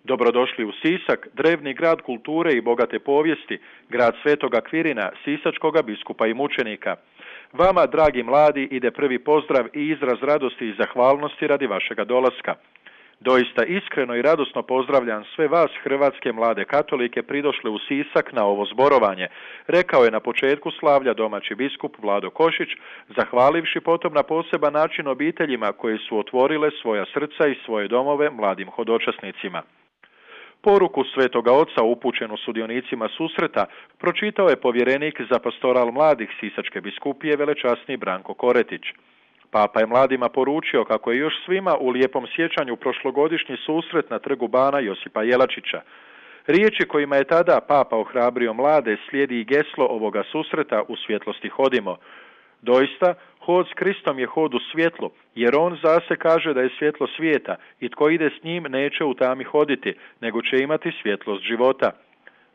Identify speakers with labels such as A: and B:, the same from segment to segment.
A: Dobrodošli u Sisak, drevni grad kulture i bogate povijesti, grad Svetoga Kvirina, sisačkoga biskupa i mučenika. Vama, dragi mladi, ide prvi pozdrav i izraz radosti i zahvalnosti radi vašega dolaska. Doista iskreno i radosno pozdravljam sve vas, hrvatske mlade katolike, pridošle u Sisak na ovo zborovanje, rekao je na početku slavlja domaći biskup Vlado Košić, zahvalivši potom na poseban način obiteljima koje su otvorile svoja srca i svoje domove mladim hodočasnicima. Poruku Svetoga Oca upućenu sudionicima susreta pročitao je povjerenik za pastoral mladih Sisačke biskupije velečasni Branko Koretić. Papa je mladima poručio kako je još svima u lijepom sjećanju prošlogodišnji susret na trgu bana Josipa Jelačića. Riječi kojima je tada Papa ohrabrio mlade slijedi i geslo ovoga susreta U svjetlosti hodimo. Doista, hod s Kristom je hod u svjetlu, jer on zase kaže da je svjetlo svijeta i tko ide s njim neće u tami hoditi, nego će imati svjetlost života.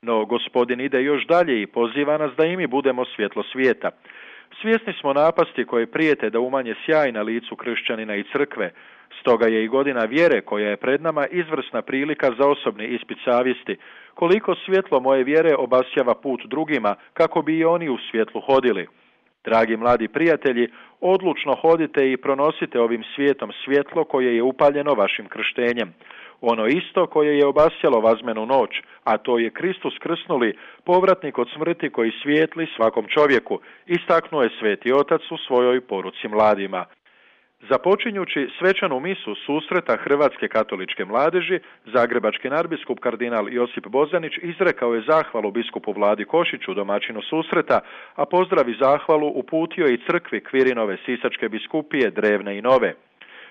A: No, Gospodin ide još dalje i poziva nas da i mi budemo svjetlo svijeta. Svjesni smo napasti koje prijete da umanje sjaj na licu kršćanina i crkve, stoga je i godina vjere koja je pred nama izvrsna prilika za osobni ispit savjesti, koliko svjetlo moje vjere obasjava put drugima kako bi i oni u svjetlu hodili. Dragi mladi prijatelji, odlučno hodite i pronosite ovim svijetom svjetlo koje je upaljeno vašim krštenjem. Ono isto koje je obasjalo vazmenu noć, a to je Kristus krsnuli, povratnik od smrti koji svijetli svakom čovjeku, istaknuo je Sveti Otac u svojoj poruci mladima. Započinjući svečanu misu susreta Hrvatske katoličke mladeži, zagrebački nadbiskup kardinal Josip Bozanić izrekao je zahvalu biskupu Vladi Košiću, domaćinu susreta, a pozdrav i zahvalu uputio i crkvi Kvirinove Sisačke biskupije, drevne i nove.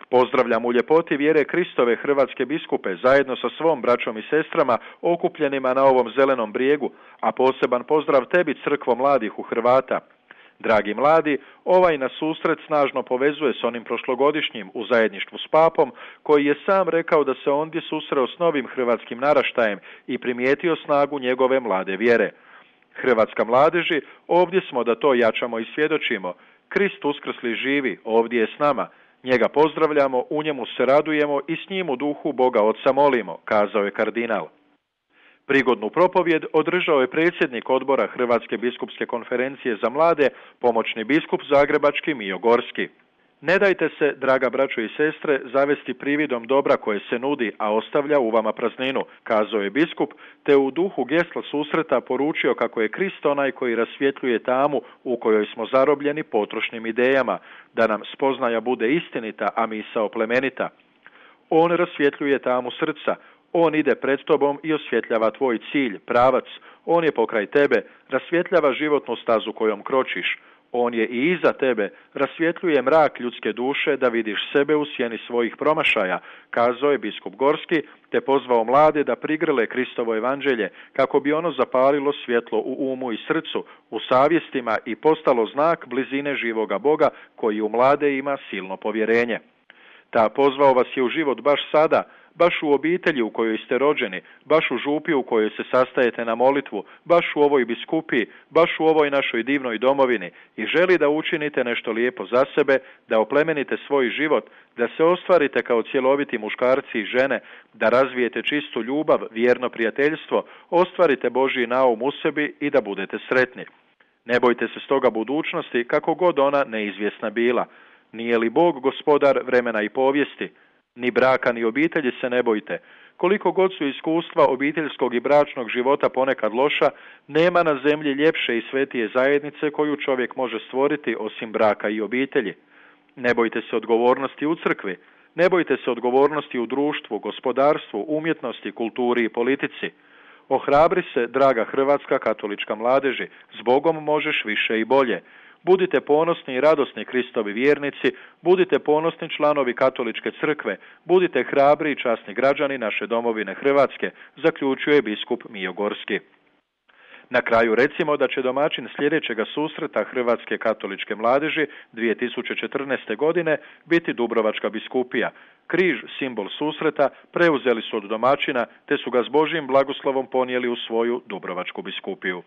A: Pozdravljam u ljepoti vjere Kristove hrvatske biskupe zajedno sa svom braćom i sestrama okupljenima na ovom zelenom brijegu, a poseban pozdrav tebi, crkvo mladih u Hrvata. Dragi mladi, ovaj nas susret snažno povezuje s onim prošlogodišnjim u zajedništvu s papom, koji je sam rekao da se ondje susreo s novim hrvatskim naraštajem i primijetio snagu njegove mlade vjere. Hrvatska mladeži, ovdje smo da to jačamo i svjedočimo. Krist uskrsli živi, ovdje je s nama. Njega pozdravljamo, u njemu se radujemo i s njim u duhu Boga Otca molimo, kazao je kardinal. Prigodnu propovjed održao je predsjednik odbora Hrvatske biskupske konferencije za mlade, pomoćni biskup zagrebački Mijo Gorski. Ne dajte se, draga braćo i sestre, zavesti prividom dobra koje se nudi, a ostavlja u vama prazninu, kazao je biskup, te u duhu gesla susreta poručio kako je Krist onaj koji rasvjetljuje tamu u kojoj smo zarobljeni potrošnim idejama, da nam spoznaja bude istinita, a misao plemenita. On rasvjetljuje tamu srca, on ide pred tobom i osvjetljava tvoj cilj, pravac, on je pokraj tebe, rasvjetljava životnu stazu kojom kročiš. On je i iza tebe, rasvjetljuje mrak ljudske duše da vidiš sebe u sjeni svojih promašaja, kazao je biskup Gorski, te pozvao mlade da prigrle Kristovo evanđelje, kako bi ono zapalilo svjetlo u umu i srcu, u savjestima i postalo znak blizine živoga Boga koji u mlade ima silno povjerenje. Ta pozvao vas je u život baš sada, baš u obitelji u kojoj ste rođeni, baš u župi u kojoj se sastajete na molitvu, baš u ovoj biskupiji, baš u ovoj našoj divnoj domovini i želi da učinite nešto lijepo za sebe, da oplemenite svoj život, da se ostvarite kao cjeloviti muškarci i žene, da razvijete čistu ljubav, vjerno prijateljstvo, ostvarite Božji naum u sebi i da budete sretni. Ne bojte se stoga budućnosti, kako god ona neizvjesna bila. Nije li Bog gospodar vremena i povijesti? Ni braka ni obitelji se ne bojte. Koliko god su iskustva obiteljskog i bračnog života ponekad loša, nema na zemlji ljepše i svetije zajednice koju čovjek može stvoriti osim braka i obitelji. Ne bojte se odgovornosti u crkvi, ne bojte se odgovornosti u društvu, gospodarstvu, umjetnosti, kulturi i politici. Ohrabri se, draga hrvatska katolička mladeži, s Bogom možeš više i bolje. Budite ponosni i radosni Kristovi vjernici, budite ponosni članovi katoličke crkve, budite hrabri i časni građani naše domovine Hrvatske, zaključuje biskup Mijo Gorski. Na kraju recimo da će domaćin sljedećega susreta Hrvatske katoličke mladeži 2014. godine biti Dubrovačka biskupija. Križ, simbol susreta, preuzeli su od domaćina te su ga s Božjim blagoslovom ponijeli u svoju Dubrovačku biskupiju.